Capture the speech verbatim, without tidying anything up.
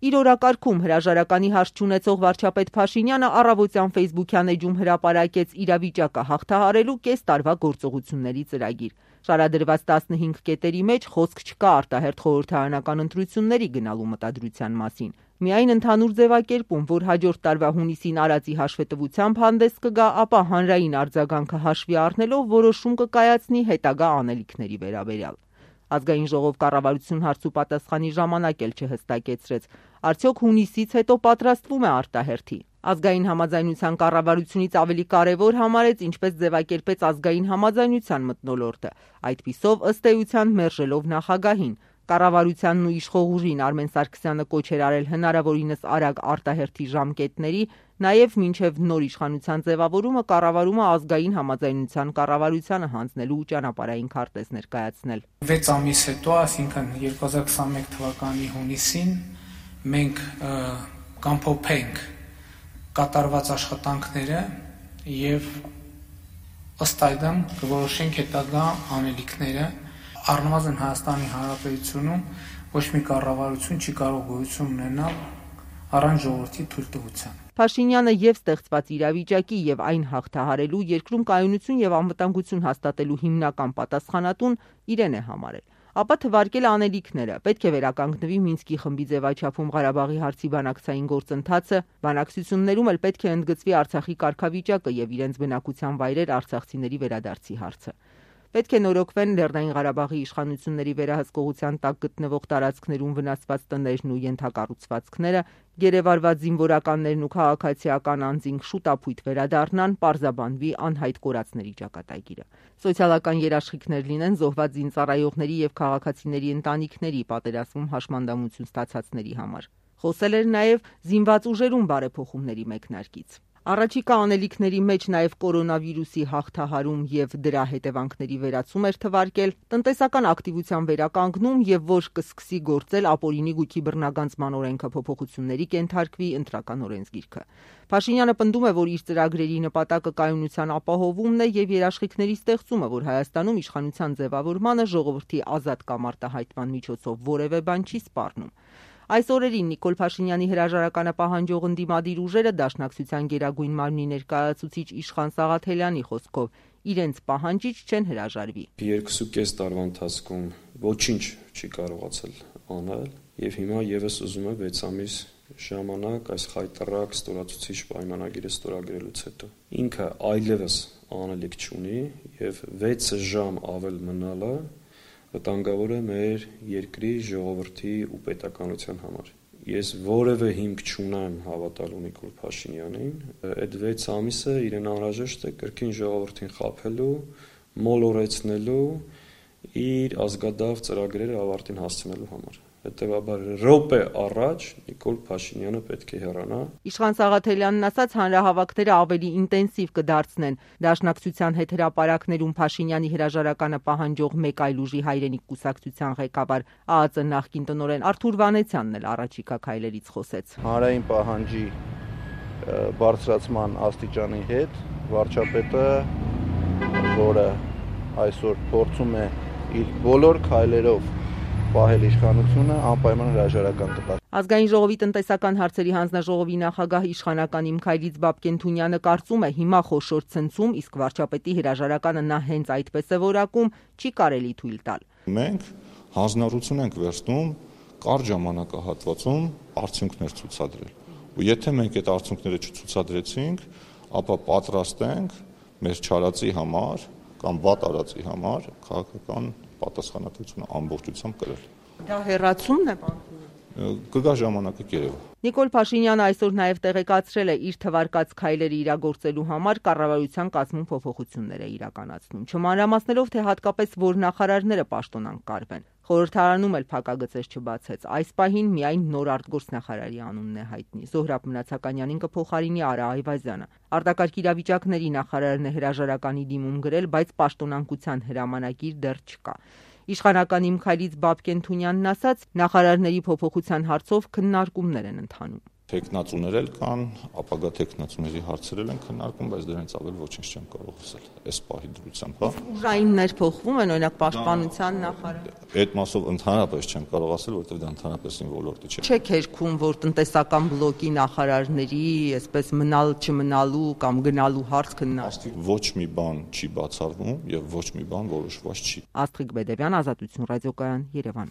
Իր օրակարգում հրաժարականի հարց չունեցող վարչապետ Փաշինյանը առավոտյան ֆեյսբուքյան էջում հրապարակեց իրավիճակը հաղթահարելու կես տարվա գործողությունների ծրագիր։ Շարադրված տասնհինգ կետերի մեջ խոսք չկա արտահերթ խորհրդարանական ընտրությունների գնալու մտադրության մասին։ Միայն ընդհանուր ձևակերպում, որ հաջորդ տարվա հունիսին արածի հաշվետվությամբ հանդես կգա, ապա հանրային արձագանքը հաշվի առնելով որոշում կկայացնի հետագա անելիքների վերաբերյալ։ Ազգային ժողով կառավարություն հարցուպատասխանի ժամանակ էլ չհստակեցրեց, արդյոք հունիսից հետո պատրաստվում է արտահերթի։ Ազգային համաձայնության կառավարությունից ավելի կարևոր համարեց, ինչպես ձևակերպեց ազգային համաձայնության մթնոլորտը, այդպիսով ըստ էության մերժելով նախագահին։ Կառավարությանն ու իշխող ուժին Արմեն Սարգսյանը կոչ էր արել հնարավորինս արագ արտահերթի ժամկետների, նաև մինչև նոր իշխանության ձևավորումը կառավարումը ազգային համաձայնության կառավարությանը հանձնելու ճանապարհային քարտեզ ներկայացնել։ վեց ամիս հետո, այսինքն երկու հազար քսանմեկ թվականի հունիսին, մենք կամփոփենք կատարված աշխատանքները եւ ըստ այդմ կորոշենք հետագա անելիքները։ Առնվազն Հայաստանի Հանրապետությունում ոչ մի կառավարություն չի կարող գոյություն ունենալ առանց ժողովրդի թույլտվության։ Փաշինյանը եւ ստեղծված իրավիճակի եւ այն հաղթահարելու երկրում կայունություն եւ անվտանգություն հաստատելու հիմնական պատասխանատուն իրեն է համարել։ Ապա թվարկել անելիքները, պետք է վերականգնվի Մինսկի խմբի ձևաչափում Ղարաբաղի հարցի բանակցային գործընթացը, բանակցություններում էլ պետք է ընդգծվի Արցախի կարգավիճակը եւ իրենց բնակության վայրեր արցախցիների վերադարձի հարցը։ Պետք է նորոգվեն Լեռնային Ղարաբաղի իշխանությունների վերահսկողության տակ գտնվող տարածքներում վնասված տներն ու ենթակառուցվածքները, գերեվարված զինվորականներն ու քաղաքացիական անձինք շուտապույտ վերադառնան, պարզաբանվի անհայտ կորածների ճակատագիրը։ Սոցիալական երաշխիքներ լինեն զոհված զինծառայողների եւ քաղաքացիների ընտանիքների պատերազմում հաշմանդամություն ստացածների համար։ Խոսել էր նաեւ զինված ուժերում բարեփոխումների մեկնարկից։ Առաջիկա անելիքների մեջ նաև կորոնավիրուսի հաղթահարում եւ դրա հետևանքների վերացում էր թվարկել, տնտեսական ակտիվության վերականգնում եւ որ կսկսի գործել ապօրինի գույքի բռնագանձման օրենքը փոփոխությունների կենթարկվի ընտրական օրենսգիրքը։ Փաշինյանը պնդում է, որ իր ծրագրերի նպատակը կայունության ապահովումն է եւ երաշխիքների ստեղծումը, որ Հայաստանում իշխանության ձևավորմանը ժողովրդի ազատ կամ արտահայտման միջոցով որևէ բան չի սպառնում։ Այս օրերին Նիկոլ Փաշինյանի հրաժարականը պահանջող ընդդիմադիր ուժերը Դաշնակցության գերագույն մարմնի ներկայացուցիչ Իշխան Սաղաթելյանի խոսքով իրենց պահանջից չեն հրաժարվի։ Երկուսուկես տարվա ընթացքում ոչինչ չի կարողացել անել եւ հիմա եւս ուզում է վեց ամիս ժամանակ այս խայտառակ ստորացուցիչ պայմանագիրը ստորագրելուց հետո ինքը այլևս անելիք չունի եւ վեց ժամ ավել մնալը վտանգավոր է մեր երկրի ժողովրդի ու պետականության համար։ Ես որևէ հիմք չունեմ հավատալու Նիկոլ Փաշինյանին, այդ վեց ամիսը իրեն անհրաժեշտ է կրկին ժողովրդին խաբելու, մոլորեցնելու, իր ազգադավ ծրագրերը ավարտին հասցնելու համար։ Հետևաբար րոպե առաջ Նիկոլ Փաշինյանը պետք է հեռանա։ Իշխան Սաղաթելյանն ասաց, հանրահավաքները ավելի ինտենսիվ կդարձնեն։ Դաշնակցության հետ հրապարակներում Փաշինյանի հրաժարականը պահանջող մեկ այլ ուժի Հայրենիք կուսակցության ղեկավար ԱԱԾ նախկին տնօրեն Արթուր Վանեցյանն էլ առաջիկա քայլերից խոսեց։ Հանրային պահանջի բարձրացման աստիճանի հետ վարչապետը, որը այսօր փորձում է իր բոլոր քայլերով պահել իշխանությունը, անպայման հրաժարական կտա։ Ազգային ժողովի տնտեսական հարցերի հանձնաժողովի նախագահ իշխանական Իմ Քայլից Բաբկեն Թունյանը կարծում է, հիմա խոշոր ցնցում, իսկ վարչապետի հրաժարականը նա հենց այդպես է որակում, չի կարելի թույլ տալ։ Մենք հանձնառություն ենք վերցնում կարճ ժամանակահատվածում արդյունքներ ցուցադրել։ Ու եթե մենք այդ արդյունքները չցուցադրեցինք, ապա պատրաստ ենք մեր չարածի համար կամ վատ արածի համար քաղաքական պատասխանատվությունը ամբողջությամբ կրել։ Դա հեռացումն է բանկում։ Կգա ժամանակը կերևա։ Նիկոլ Փաշինյանը այսօր նաև տեղեկացրել է իր թվարկած քայլերը իրագործելու համար կառավարության կազմում փոփոխություններ է իրականացնում, չմանրամասնելով, թե հատկապես որ նախարարները պաշտոնանկ կարվեն։ Խորհրդարանում էլ փակագծեր չբացեց։ Այս պահին միայն նոր արտգործնախարարի անունն է հայտնի։ Զոհրաբ Մնացականյանին կփոխարինի Արա Այվազյանը։ Արտակարգ իրավիճակների նախարարն է հրաժարականի դիմում գրել, բայց պաշտոնանկության հրամանագիր դեռ չկա։ Իշխանական Իմ Քայլից Բաբկեն Թունյանն ասաց, նախարարների փոփոխության հարցով քննարկումներ են ընթանում։ Տեխնացուներ էլ կան, ապագա տեխնացուների հարցերել են քննարկում, բայց դրանից ավել ոչինչ չեմ կարող ասել այս պահի դրությամբ, հա։ Ուժայիններ փոխվում են, օրինակ պաշտպանության նախարար։ Այդ մասով ընդհանրապես չեմ կարող ասել, որովհետև դա ընդհանրապես իմ ոլորտը չէ։ Չեք հերքում, որ տնտեսական բլոկի նախարարների, այսպես մնալ չմնալու կամ գնալու հարց քննարկվի։ Ոչ մի բան չի բացառվում եւ ոչ մի բան որոշված չի։ Աստղիկ Բեդևյան, Ազատություն ռադիոկայան, Երևան։